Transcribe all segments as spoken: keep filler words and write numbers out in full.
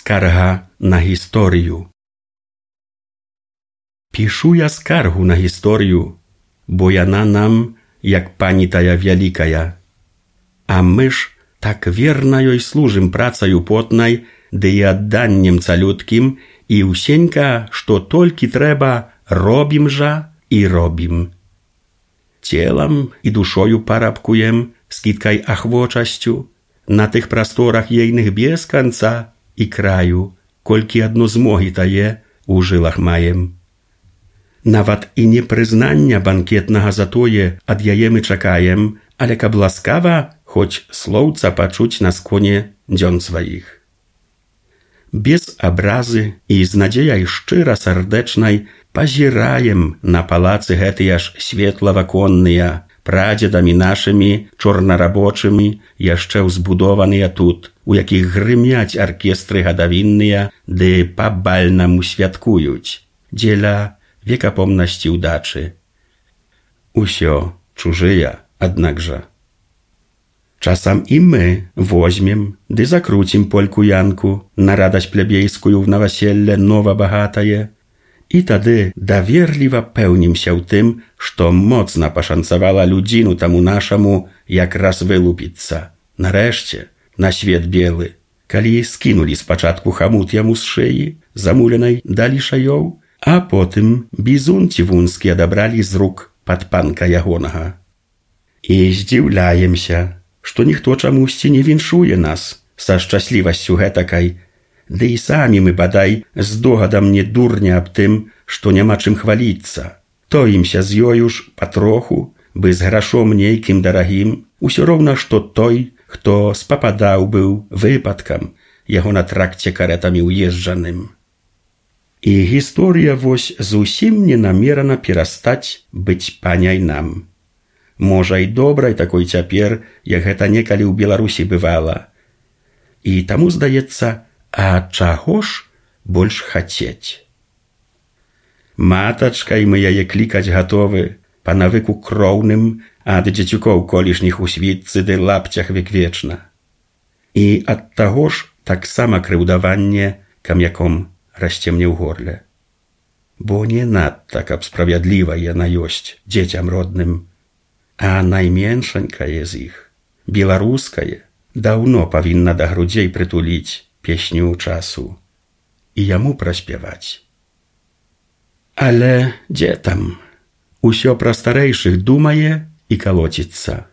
Skarga na historiu. Пишу я скаргу на гісторію, бо яна нам, як пані тая вялікая. А мы ж так верна ёй служым працаю потнай, ды і адданнем цалюткім, і ўсенька, што толькі трэба, робім жа і робім. Целам і душою парабкуем, з кіткай ахвочасцю, на тых прасторах ейных без канца і краю, колькі адно змогі тае у жылах маем. Нават і не прызнання банкетнага за тое ад яе мы чакаем, але каб ласкава хоць слоўца пачуць на сконе дзён сваіх. Без абразы і з надзеяй шчыра сардэчнай пазіраем на палацы гэтыя ж светлаваконныя, прадзедамі нашымі чорнарабочымі, яшчэ ўзбудованыя тут, у якіх грымяць аркестры гадавінныя, ды па-бальнаму святкуюць, дзеля векапомнасці ўдачы. Усё чужыя, аднак жа. Часам і мы возьмем ды закруцім польку-янку на радасць плебейскую в наваселле нова-багатае, і тады даверліва пэўнімся ў тым, што моцна пашанцавала людзіну таму нашаму якраз вылупіцца. Нарэшце, на свет белы, калі скінулі спачатку хамут яму з шыі, замуленай далі шаёў, а потым бізун цівунскі адабралі з рук падпанка ягонага. І здзіўляемся, што ніхто чамусьці не віншуе нас са шчаслівасцю гэтакай, ды і самі мы, бадай, з догадам не дурня аб тым, што няма чым хваліцца. Тоімся з ёю ж патроху, бы з грашом нейкім дарагім, усё роўна, што той, хто спападаў быў выпадкам, яго на тракце карэтамі ўезджаным. І гісторыя вось зусім не намерана перастаць быць паняй нам. Можа, і добрай такой цяпер, як гэта некалі ў Беларусі бывала. І таму здаецца, а чаго ж больш хацець? Матачкай мы яе клікаць гатовы, па навыку кроўным, ад дзецюкоў колішніх у світцы ды лапцях веквечна. І ад таго ж таксама крыўдаванне камяком расце мне ў горле. Бо не надта, каб справядліва яна ёсць дзецям родным, а найменшанькае з іх, беларускае, даўно павінна да грудзей прытуліць песню часу і яму праспяваць. Але дзе там? Усё пра старэйшых думае і калоціцца.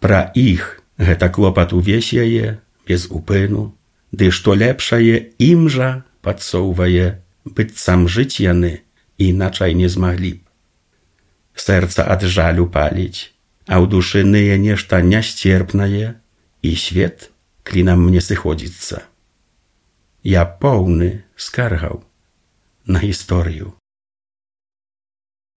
Пра іх гэта клопат увесь яе, без упыну, ды што лепшае ім жа падсоўвае, быццам жыць яны іначай не змаглі б. Сэрца ад жалю паліць, а ў душы ные нешта нясцерпнае, і свет клінам мне сыходзіцца. Я поўны скаргаў на гісторыю.